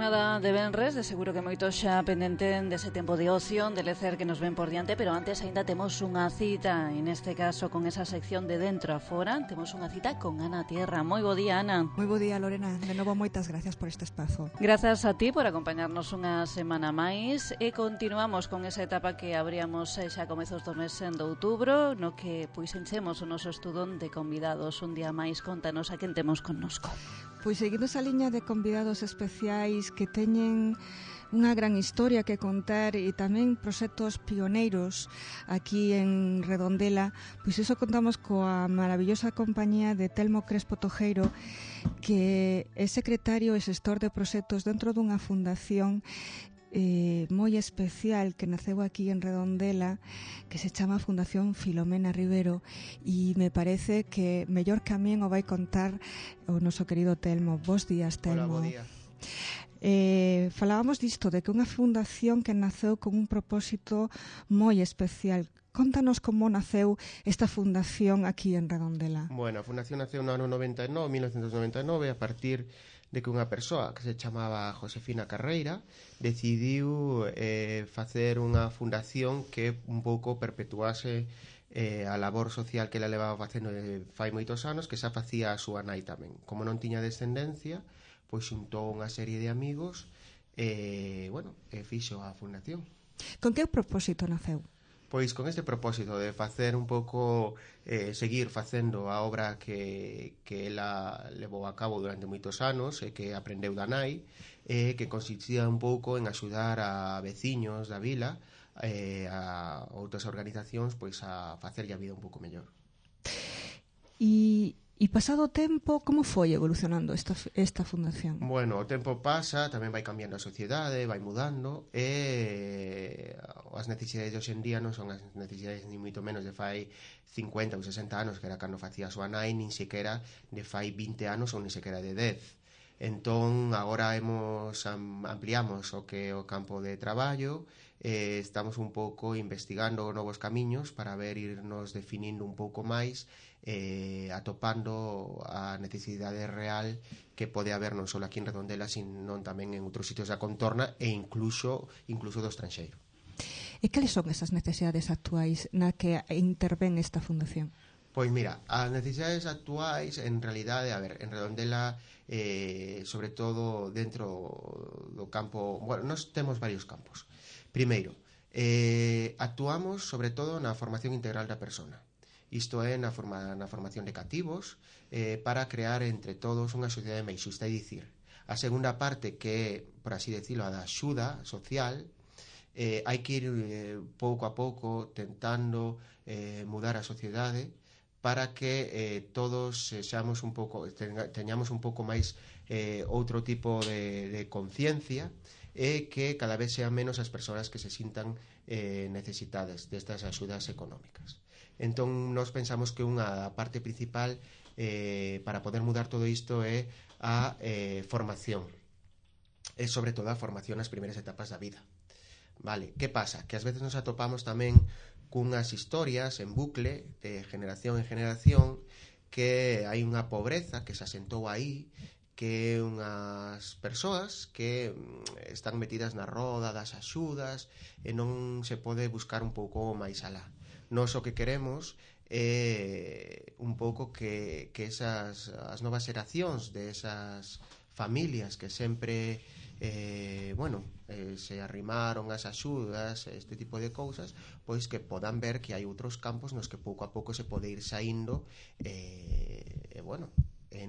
Xornada de venres, de seguro que moitos xa pendenten dese tempo de ocio, de lecer que nos ven por diante, pero antes aínda temos unha cita, en este caso con esa sección de dentro a fora, temos unha cita con Ana Tierra. Moi bo día, Ana. Moi bo día, Lorena. De novo, moitas gracias por este espazo. Grazas a ti por acompañarnos unha semana máis e continuamos con esa etapa que abríamos xa a comezos do mes de outubro, no que pois enchemos o noso estudón de convidados. Un día máis, contanos a quen temos connosco. Pois seguindo esa liña de convidados especiais que teñen unha gran historia que contar e tamén proxectos pioneiros aquí en Redondela, pois iso contamos coa maravillosa compañía de Telmo Crespo Tojeiro, que é secretario e xestor de proxectos dentro dunha fundación moi especial que naceu aquí en Redondela, que se chama Fundación Filomena Rivero, e me parece que mellor que a min o vai contar o noso querido Telmo. Bos días, Telmo. Hola, bo día. Falábamos disto, de que unha fundación que naceu con un propósito moi especial. Contanos como naceu esta fundación aquí en Redondela. Bueno, a fundación naceu no ano 1999, a partir de que unha persoa que se chamaba Josefina Carreira decidiu facer unha fundación que un pouco perpetuase a labor social que ela levaba facendo fai moitos anos, que xa facía a súa nai tamén. Como non tiña descendencia, pois xuntou unha serie de amigos e fixo a fundación. Con que propósito naceu? Pois con este propósito de facer un pouco, seguir facendo a obra que ela levou a cabo durante moitos anos e que aprendeu da nai, que consistía un pouco en axudar a veciños da vila, a outras organizacións, pois a facerlle a vida un pouco mellor. E pasado o tempo, como foi evolucionando esta fundación? Bueno, o tempo pasa, tamén vai cambiando a sociedade, vai mudando, e as necesidades de hoxe en día non son as necesidades ni moito menos de fai 50 ou 60 anos, que era cando facía a súa nai, nin sequera de fai 20 anos ou nin sequera de 10. Entón, agora ampliamos o que é o campo de traballo, estamos un pouco investigando novos camiños para irnos definindo un pouco máis, atopando a necesidade real que pode haber non só aquí en Redondela, sino tamén en outros sitios da contorna e incluso do estranxeiro. E cales son esas necesidades actuais na que intervén esta fundación? Pois mira, as necesidades actuais, en realidade, en Redondela, sobre todo dentro do campo, bueno, nós temos varios campos. Primeiro, actuamos sobre todo na formación integral da persona. Isto é na formación de cativos, para crear entre todos unha sociedade máis xusta. É dicir, a segunda parte, que é, por así decirlo, a da axuda social, hai que ir pouco a pouco tentando mudar a sociedade para que todos seamos un pouco, teñamos un pouco máis outro tipo de conciencia, e que cada vez sean menos as persoas que se sintan necesitadas destas axudas económicas. Entón, nós pensamos que unha parte principal para poder mudar todo isto é a formación, e sobre todo a formación nas primeiras etapas da vida. Vale, que pasa? Que ás veces nos atopamos tamén cunhas historias en bucle de generación en generación, que hai unha pobreza que se asentou aí, que unhas persoas que están metidas na roda das axudas e non se pode buscar un pouco máis alá. Nós o que queremos é un pouco que as novas xeracións de esas familias que sempre se arrimaron as axudas, este tipo de cousas, pois que podan ver que hai outros campos nos que pouco a pouco se pode ir saindo e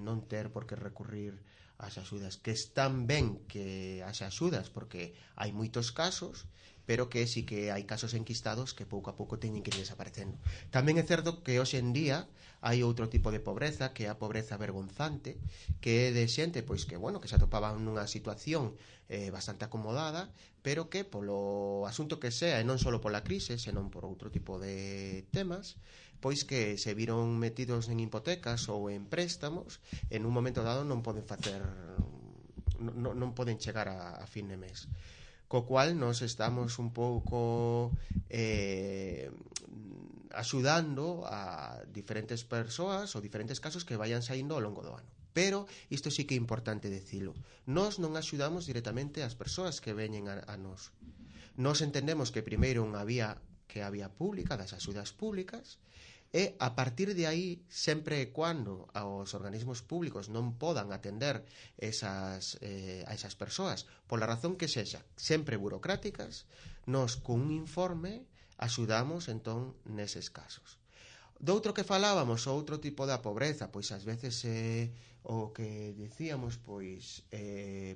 non ter por que recurrir ás axudas, que están ben que as axudas, porque hai moitos casos, pero que sí que hai casos enquistados que pouco a pouco teñen que ir desaparecendo. Tamén é certo que hoxe en día hai outro tipo de pobreza, que é a pobreza vergonzante, que é de xente pois que se atopaban nunha situación bastante acomodada, pero que polo asunto que sea, e non só pola crise, senón por outro tipo de temas, pois que se viron metidos en hipotecas ou en préstamos, en un momento dado non poden chegar a fin de mes. Co cual nos estamos un pouco axudando a diferentes persoas ou diferentes casos que vayan saindo ao longo do ano. Pero isto sí que é importante dicilo. Nós non axudamos directamente as persoas que veñen a nós. Nós entendemos que primeiro unha vía que a vía pública, das axudas públicas, e a partir de aí, sempre e cuando os organismos públicos non podan atender a esas persoas, pola razón que sexa, sempre burocráticas, nós cun informe axudamos entón neses casos. Doutro que falábamos, outro tipo da pobreza, pois ás veces o que dicíamos, pois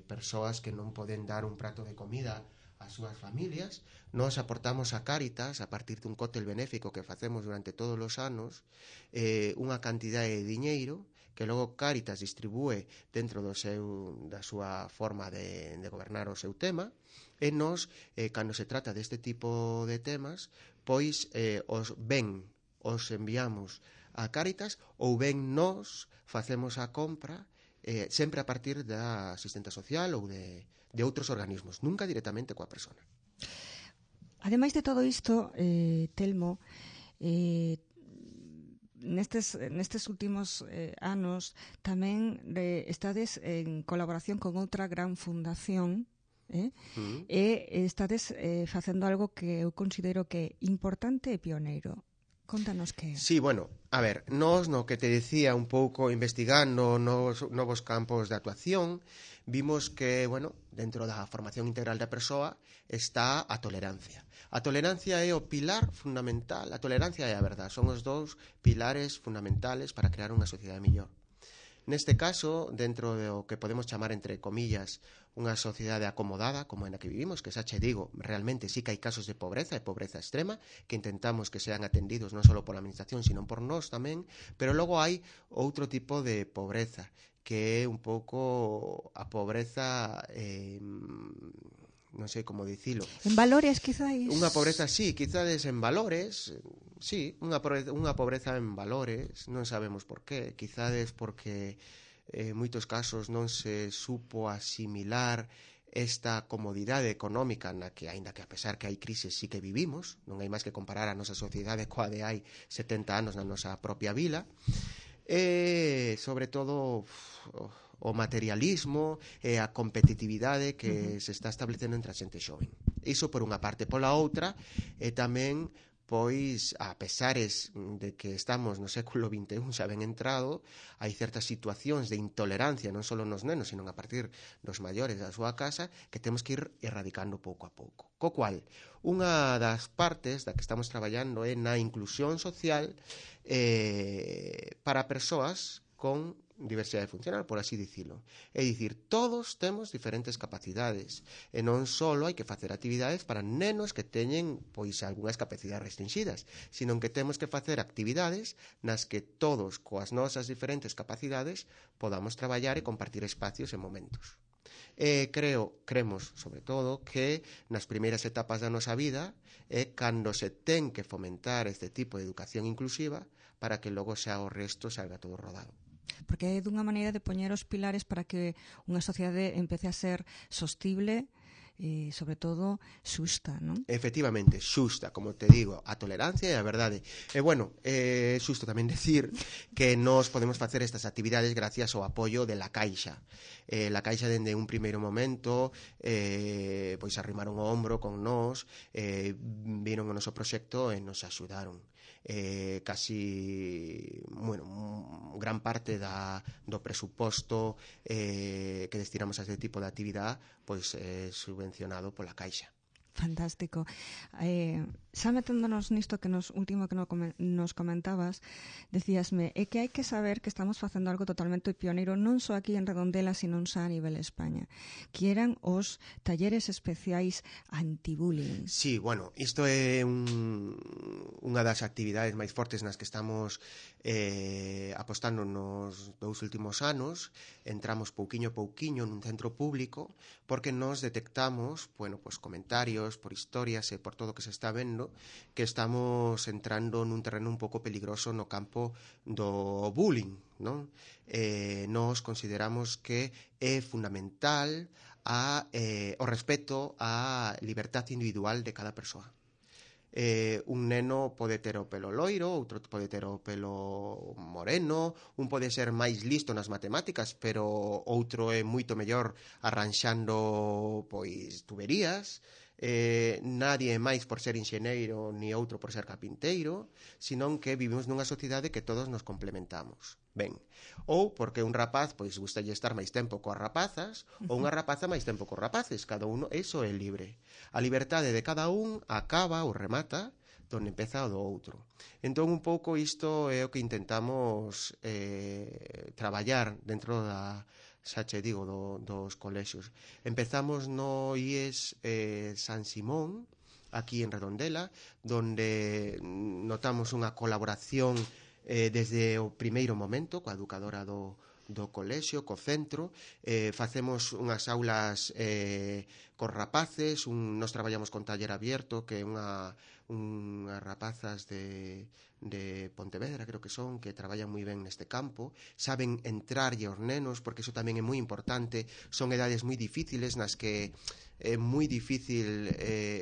persoas que non poden dar un prato de comida as súas familias. Nos aportamos a Cáritas, a partir dun cóctel benéfico que facemos durante todos os anos, unha cantidade de diñeiro que logo Cáritas distribúe dentro da súa forma de gobernar o seu tema, e nos, cando se trata deste tipo de temas, pois os enviamos a Cáritas, ou ben nos facemos a compra sempre a partir da asistenta social ou de outros organismos, nunca directamente coa persona. Ademais de todo isto, Telmo, nestes últimos anos tamén estades en colaboración con outra gran fundación, e estades facendo algo que eu considero que é importante e pioneiro. Contanos que é. Sí, bueno, a ver, nós no que te decía un pouco investigando novos campos de actuación, vimos que, bueno, dentro da formación integral da persoa está a tolerancia. A tolerancia é o pilar fundamental, a tolerancia e a verdade, son os dous pilares fundamentales para crear unha sociedade mellor. Neste caso, dentro do que podemos chamar, entre comillas, unha sociedade acomodada, como en a que vivimos, que xa che digo, realmente sí que hai casos de pobreza, e pobreza extrema, que intentamos que sean atendidos non só pola administración, sino por nós tamén, pero logo hai outro tipo de pobreza, que é un pouco a pobreza, non sei como dicilo. En valores, quizáis? Unha pobreza, sí, quizades en valores, sí, unha pobreza en valores, non sabemos por qué, quizades porque en moitos casos non se supo asimilar esta comodidade económica na que, aínda que a pesar que hai crises, sí que vivimos, non hai máis que comparar a nosa sociedade coa de hai 70 anos na nosa propia vila, e sobre todo o materialismo e a competitividade que se está establecendo entre a xente xoven. Iso por unha parte. Pola outra, tamén, pois, a pesares de que estamos no século XXI xa ben entrado, hai certas situacións de intolerancia non só nos nenos, sino a partir dos maiores da súa casa, que temos que ir erradicando pouco a pouco. Co cual, unha das partes da que estamos traballando é na inclusión social para persoas con diversidade funcional, por así dicilo. É dicir, todos temos diferentes capacidades e non só hai que facer actividades para nenos que teñen pois algunhas capacidades restringidas, sino que temos que facer actividades nas que todos, coas nosas diferentes capacidades, podamos traballar e compartir espacios e momentos. Cremos, sobre todo, que nas primeiras etapas da nosa vida é cando se ten que fomentar este tipo de educación inclusiva para que logo xa o resto salga todo rodado. Porque é dunha maneira de poñer os pilares para que unha sociedade empece a ser sostible e, sobre todo, xusta, non? Efectivamente, xusta, como te digo, a tolerancia e a verdade. E, bueno, é xusto tamén decir que nós podemos facer estas actividades gracias ao apoio de La Caixa. La Caixa, dende un primeiro momento, pois arrimaron o ombro con nós, viron o noso proxecto e nos axudaron. Casi, bueno, gran parte do presuposto que destinamos a este tipo de actividade pois é subvencionado pola Caixa. Fantástico. Xa meténdonos nisto que último que nos comentabas, decíasme, é que hai que saber que estamos facendo algo totalmente pioneiro, non só aquí en Redondela, sino xa a nivel España, que eran os talleres especiais anti-bullying. Sí, bueno, isto é unha das actividades máis fortes nas que estamos apostando nos 2 últimos anos. Entramos pouquiño a pouquiño nun centro público porque nos detectamos, bueno, pues comentarios por historias e por todo o que se está vendo, que estamos entrando nun terreno un pouco peligroso no campo do bullying, non? Nos consideramos que é fundamental o respeto á libertad individual de cada persoa. un neno pode ter o pelo loiro, outro pode ter o pelo moreno, un pode ser máis listo nas matemáticas, pero outro é moito mellor arranxando pois tuberías. Nadie é máis por ser enxeneiro ni outro por ser carpinteiro, senón que vivimos nunha sociedade que todos nos complementamos. Ben, ou porque un rapaz pois gustalle estar máis tempo coas rapazas, ou unha rapaza máis tempo cos rapaces, cada uno, eso é libre. A liberdade de cada un acaba ou remata donde empeza o do outro. Entón, un pouco isto é o que intentamos traballar dentro da, xa che digo, dos colexios. Empezamos no IES San Simón, aquí en Redondela, donde notamos unha colaboración desde o primeiro momento coa educadora do colexio, co centro. Facemos unhas aulas cos rapaces, nos traballamos con taller abierto, que é unhas rapazas de Pontevedra, creo que son, que traballan moi ben neste campo, saben entrarlle aos nenos, porque iso tamén é moi importante. Son edades moi difíciles nas que é moi difícil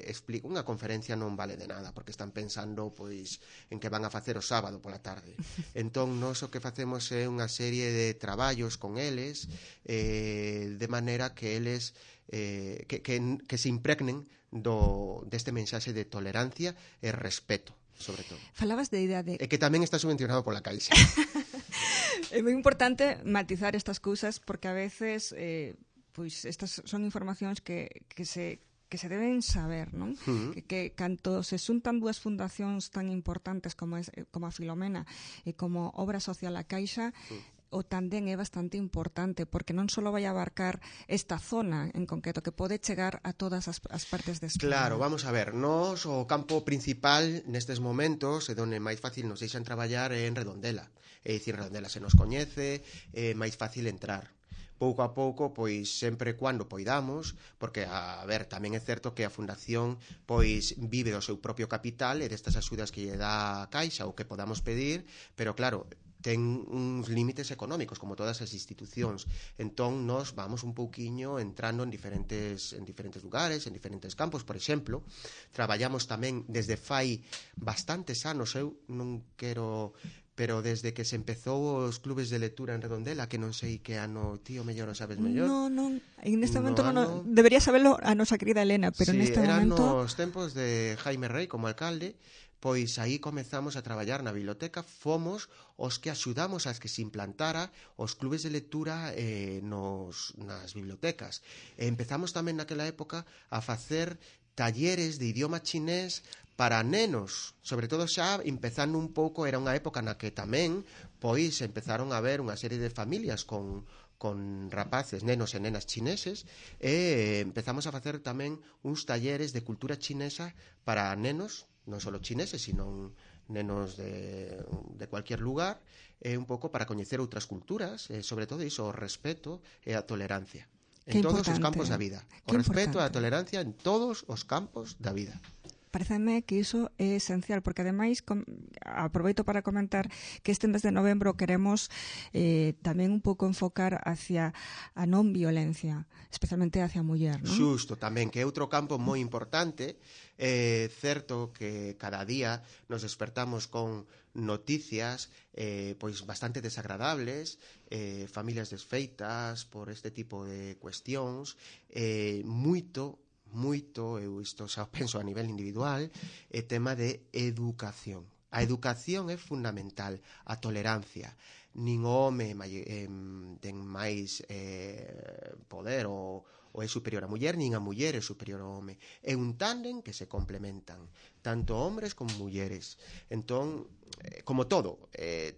explicar. Unha conferencia non vale de nada, porque están pensando pois en que van a facer o sábado pola tarde. Entón, nós o que facemos é unha serie de traballos con eles, de maneira que eles que se impregnen deste mensaxe de tolerancia e respeto, sobre todo. Falabas de idade. E que tamén está subvencionado pola Caixa. É moi importante matizar estas cousas, porque a veces pois estas son informacións que se deben saber, non? Que canto se xuntan dúas fundacións tan importantes como a Filomena e como Obra Social a Caixa, o tándem é bastante importante, porque non só vai abarcar esta zona en concreto, que pode chegar a todas as partes de España. Claro, vamos a ver, nos o campo principal nestes momentos é onde máis fácil nos deixan traballar en Redondela. É dicir, Redondela se nos coñece, é máis fácil entrar. Pouco a pouco, pois sempre cuando poidamos, porque, a ver, tamén é certo que a Fundación pois vive do seu propio capital e destas axudas que lle dá a Caixa ou que podamos pedir, pero claro, ten uns límites económicos, como todas as institucións. Entón, nos vamos un pouquiño entrando en diferentes lugares, en diferentes campos. Por exemplo, traballamos tamén desde fai bastantes anos, eu non quero... pero desde que se empezou os clubes de lectura en Redondela, que non sei que ano, tío, mellor o sabes mellor. Non, en este momento non, debería saberlo a nosa querida Elena, pero neste momento... Eran nos tempos de Jaime Rey como alcalde, pois aí comezamos a traballar na biblioteca, fomos os que axudamos a que se implantara os clubes de lectura nas bibliotecas. E empezamos tamén naquela época a facer talleres de idioma chinés para nenos, sobre todo xa empezando un pouco, era unha época na que tamén pois empezaron a haber unha serie de familias con rapaces, nenos e nenas chineses, e empezamos a facer tamén uns talleres de cultura chinesa para nenos, non só chineses, sino nenos de cualquier lugar, un pouco para coñecer outras culturas, sobre todo iso, o respeto e a tolerancia en todos os campos da vida. O respeto e a tolerancia en todos os campos da vida. Pareceme que iso é esencial, porque ademais aproveito para comentar que este mes de novembro queremos tamén un pouco enfocar hacia a non violencia, especialmente hacia a muller, non? Xusto, tamén, que é outro campo moi importante. É certo que cada día nos despertamos con noticias pois bastante desagradables, familias desfeitas por este tipo de cuestións, moito, eu isto xa penso a nivel individual, é tema de educación. A educación é fundamental, a tolerancia. Nin o home ten máis poder ou é superior a muller, nin a muller é superior ao home. É un tándem que se complementan, tanto hombres como mulleres. Entón, como todo,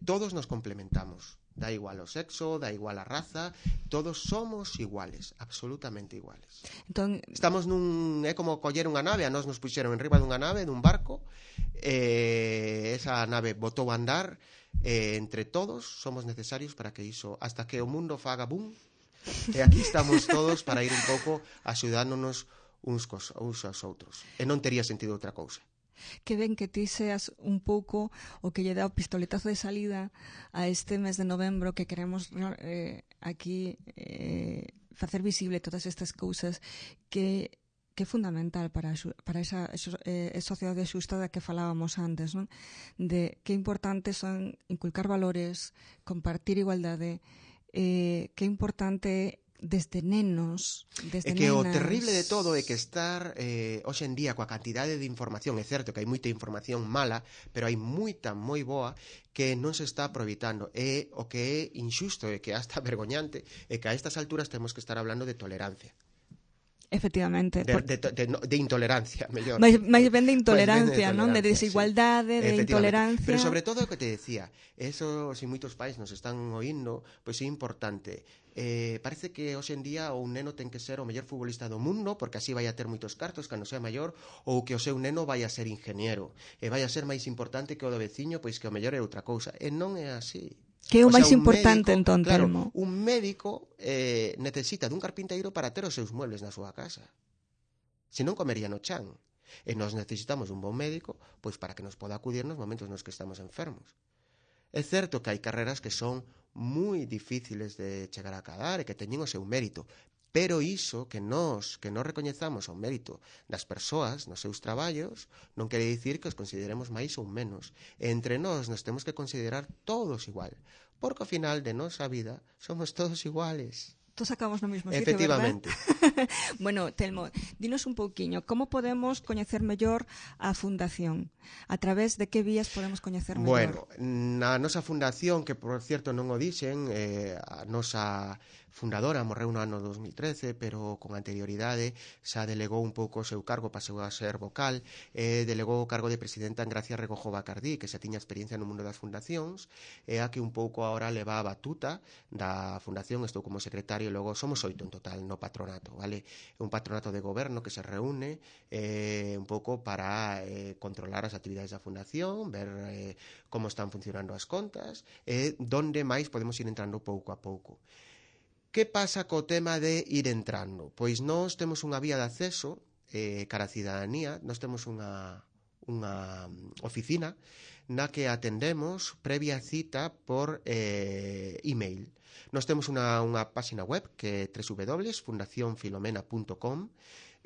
todos nos complementamos. Da igual o sexo, da igual a raza, todos somos iguales, absolutamente iguales. Entón, estamos é como coller unha nave, a nós nos puxeron en riba dunha nave, dun barco, esa nave botou a andar, entre todos somos necesarios para que iso, hasta que o mundo faga boom, e aquí estamos todos para ir un pouco axudándonos uns aos outros. E non tería sentido outra cousa. Que ben que ti seas un pouco o que lle dá o pistoletazo de salida a este mes de novembro, que queremos aquí facer visible todas estas cousas que que é fundamental para esa sociedade xusta da que falábamos antes, non? De que importante son inculcar valores, compartir igualdade, que é importante desde nenos, desde que nenas. O terrible de todo é que estar hoxe en día coa cantidade de información, é certo que hai moita información mala, pero hai moita moi boa que non se está aproveitando. E o que é injusto e que hasta vergoñante é que a estas alturas temos que estar hablando de tolerancia. Efectivamente. De intolerancia, mellor. Mais ben de intolerancia, non? De desigualdade, de intolerancia. Pero sobre todo o que te decía, eso, se moitos pais nos están oindo, pois é importante. Parece que hoxe en día un neno ten que ser o mellor futbolista do mundo, porque así vai a ter moitos cartos cando sea maior, ou que o seu neno vai a ser ingeniero, e vai a ser máis importante que o do veciño, pois que o mellor é outra cousa. E non é así. Que é o máis importante, entón, Telmo. Un médico necesita dun carpinteiro para ter os seus muebles na súa casa. Se non comería no chan. E nós necesitamos un bon médico pois para que nos poda acudir nos momentos nos que estamos enfermos. É certo que hai carreras que son moi difíciles de chegar a acadar e que teñen o seu mérito, pero iso que nós recoñezamos o mérito das persoas nos seus traballos non quere dicir que os consideremos máis ou menos. E entre nós nos temos que considerar todos igual, porque ao final de nosa vida somos todos iguales. Todos acabamos no mesmo sitio, efectivamente. ¿Verdad? Bueno, Telmo, dinos un pouquiño, como podemos coñecer mellor a Fundación? A través de que vías podemos coñecer mellor? Bueno, na nosa fundación, que por cierto non o dixen, a nosa fundadora morreu no ano 2013, pero con anterioridade xa delegou un pouco o seu cargo, pasou a ser vocal, delegou o cargo de presidenta en Gracia Regojo Bacardí, que xa tiña experiencia no mundo das fundacións, e a que un pouco agora leva a batuta da fundación. Estou como secretario, e logo somos 8 en total no patronato, vale? Un patronato de goberno que se reúne un pouco para controlar as actividades da fundación, ver como están funcionando as contas, e donde máis podemos ir entrando pouco a pouco. Que pasa co tema de ir entrando? Pois nós temos unha vía de acceso cara a cidadanía, nós temos unha oficina na que atendemos previa cita por email. Nós temos unha páxina web que é www.fundacionfilomena.com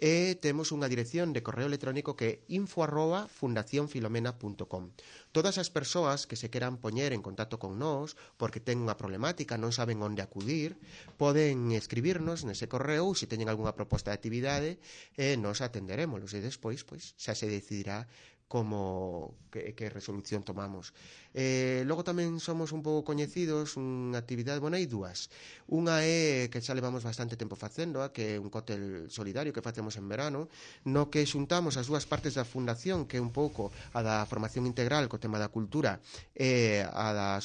e temos unha dirección de correo electrónico que é info@fundacionfilomena.com. Todas as persoas que se queran poñer en contacto con nós porque ten unha problemática, non saben onde acudir, poden escribirnos nese correo ou se teñen algunha proposta de actividade e nos atenderémolos e despois pois xa se decidirá como que resolución tomamos. Logo tamén somos un pouco coñecidos, unha actividade, bueno, hai dúas. Unha é que xa levamos bastante tempo facendo, que é un cóctel solidario que facemos en verano, no que xuntamos as dúas partes da fundación, que é un pouco a da formación integral co tema da cultura e a da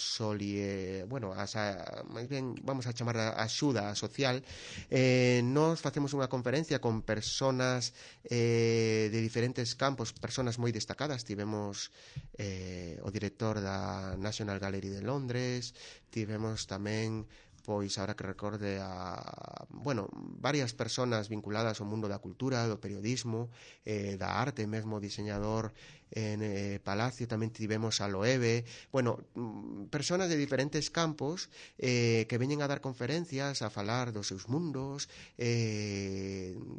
máis ben vamos a chamar a axuda social. Nós facemos unha conferencia con personas de diferentes campos, personas moi destacadas. Tivemos o director da National Gallery de Londres, tivemos tamén, pois, ahora que recorde varias personas vinculadas ao mundo da cultura, do periodismo, da arte, mesmo diseñador en Palacio, tamén tivemos a Loewe, personas de diferentes campos que veñen a dar conferencias, a falar dos seus mundos,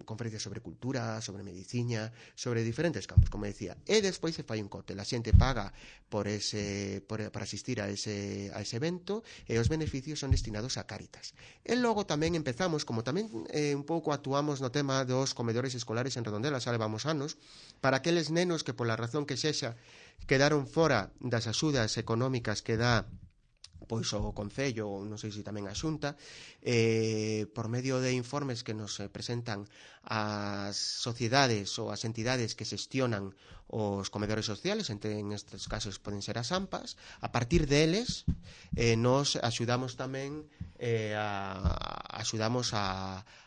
conferencias sobre cultura, sobre medicina, sobre diferentes campos, como decía. E despois se fai un cóctel, a xente paga para asistir a ese evento e os beneficios son destinados a Cáritas. E logo tamén empezamos, como tamén un pouco actuamos no tema dos comedores escolares en Redondela, xa levamos anos, para aqueles nenos que pola razón que sexa quedaron fora das axudas económicas que dá pois o Concello, non sei se tamén a Xunta, por medio de informes que nos presentan as sociedades ou as entidades que xestionan os comedores sociales, en estes casos poden ser as AMPAs, a partir deles nos axudamos tamén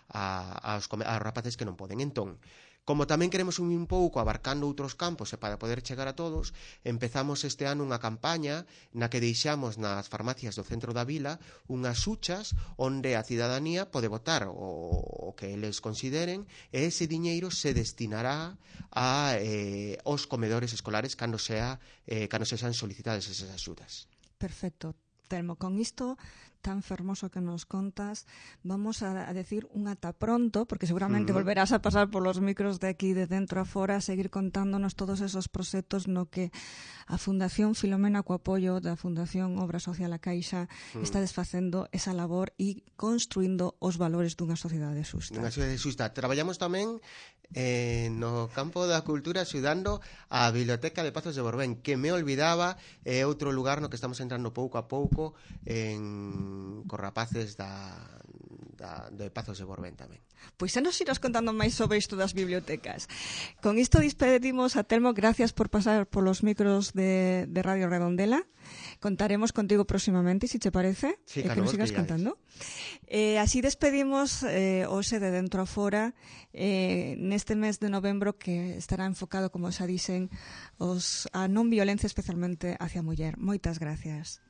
aos rapaces que non poden. Entón, como tamén queremos un pouco abarcando outros campos e para poder chegar a todos, empezamos este ano unha campaña na que deixamos nas farmacias do centro da vila unhas huchas onde a cidadanía pode votar o que eles consideren e ese diñeiro se destinará aos comedores escolares cando sexan solicitadas esas axudas. Perfecto. Telmo, con isto tan fermoso que nos contas. Vamos a decir un ata pronto, porque seguramente volverás a pasar por los micros de aquí, de dentro a fora, a seguir contándonos todos esos proxectos no que a Fundación Filomena, co apoio da Fundación Obra Social A Caixa, está desfacendo esa labor e construindo os valores dunha sociedade xusta. Unha sociedade xusta. Traballamos tamén no campo da cultura axudando a Biblioteca de Pazos de Borbén, que me olvidaba, é outro lugar no que estamos entrando pouco a pouco cos rapaces de Pazos de Borbén tamén. Pois xa nos irás contando máis sobre isto das bibliotecas. Con isto despedimos a Telmo, gracias por pasar polos micros de Radio Redondela. Contaremos contigo próximamente, si te parece, sí, que nos sigas contando. Así despedimos hoxe de Dentro a Fora neste mes de novembro que estará enfocado, como xa dixen, a non violencia, especialmente hacia a muller. Moitas gracias.